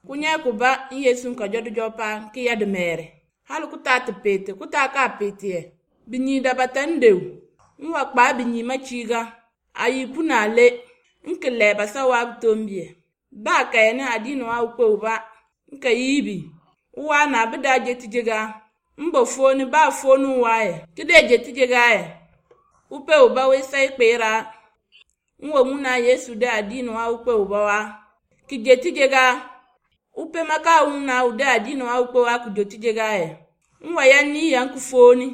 Kunyɛ kuba n Yesu nka jɔdijɔ pa ki ya dimɛɛre. Hali ku taa ti peete ku taa ka peetiɛ. Binyi dabata ndew. N wa kpaa binyi machiga. Ayi puna ale. N ki lɛɛ basa waa bitombie. Ba kaya ni adiini waa ukpe uba. N ka yiibi. Uwa na bi daa je tijega. N bo fooni ba fooni waayɛ. Ki dee je tijega yɛ. Upe uba wee sai kpeera. N wa ŋuna Yesu de adiini waa ukpe uba wa. Ki je tijega. Upe maka ŋuna u de adiini waa ukpe wa ki jo tijega yɛ. N wa ya nii ya n ki fooni.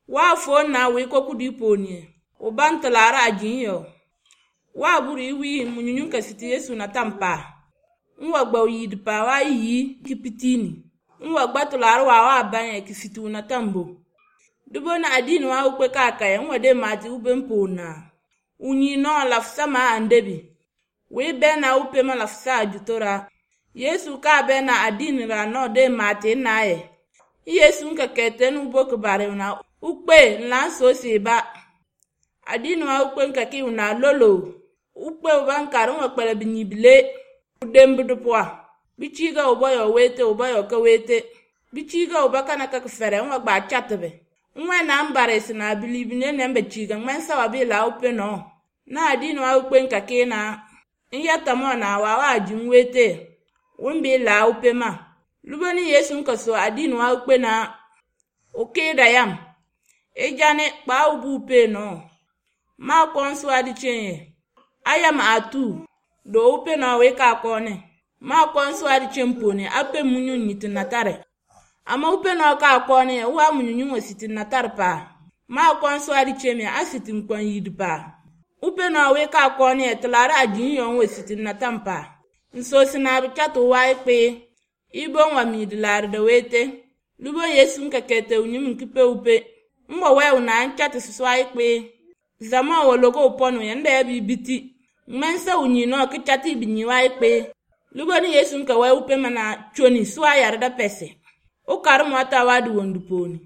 Waa fooni na wee ko kudi pooniɛ. Uba n tilaara a jiŋ yɔ. Waa buri iwii munyunyu ka siti Yesu na tam paa. N wa gba yiidi paa waa yi ki pitini. N wa gba tilaara waa waa banyɛ ki siti u na tambo. Dubo na adiini waa ukpe kaakaya n wa de maati ube n poon na. U nyii nɔɔ lafisa maa andebi. Wee bɛ na upe ma lafisa a jutora. Yesu kaa bɛ na adiini ra nɔɔ de maati naayɛ. N Yesu n ka kɛtɛni ubo kibari na ukpe n lan soosi ba. Adiini waa ukpe n ka ki una lolo. Ukpe uba n kari n wa kpɛlɛ binyi bile. Udembi di pʋa. Bichiga uba yɔ weete uba yɔ ka weete. Bichiga uba kana ka fɛrɛ n wa gbaa chatibi. N wɛ na n barisi na bilibi ne nɛn bɛ chiga ŋmɛn sawa bi la upe nɔ. Na adiini waa ukpe n ka kee na. N ya tamɔ na waa waa ji n weete. Wun bi la upe ma. Lubo ni Yesu n ka so adiini waa ukpe na. O kee da yam. E jani kpaa ubu upe nɔ. Maa kɔn suwa di chen yɛ. Ayam atu. Do upe nɔ wee ka kɔɔne. Maa kɔn suwa di chen pooni ape munyu nyiti natare. Ama upe nɔ ka kɔɔne yɛ waa munyunyu ŋɔ siti natare paa. Maa kɔn suwa di chen yɛ a siti nkɔn yiidi paa. Upe nɔ wee ka kɔɔne yɛ tilaara a jiŋ yɔ ŋɔ siti natam paa. N soosi naa bi chati waai kpee. Ibo ŋɔ miidi laari da weete. Lubo Yesu n ka kɛtɛ u nyim n ki pe upe. N wa wɛ u na n chati susuai kpee. Zama wa logo upɔnu yɛ n da yɛ bi biti. Ŋmɛn sa u nyi nɔ ki chati bi nyi waai kpee. Lubo ni Yesu n ka wɛ upe mana choni suwa yari da pɛsɛ. U kari mɔta waa di wondu pooni.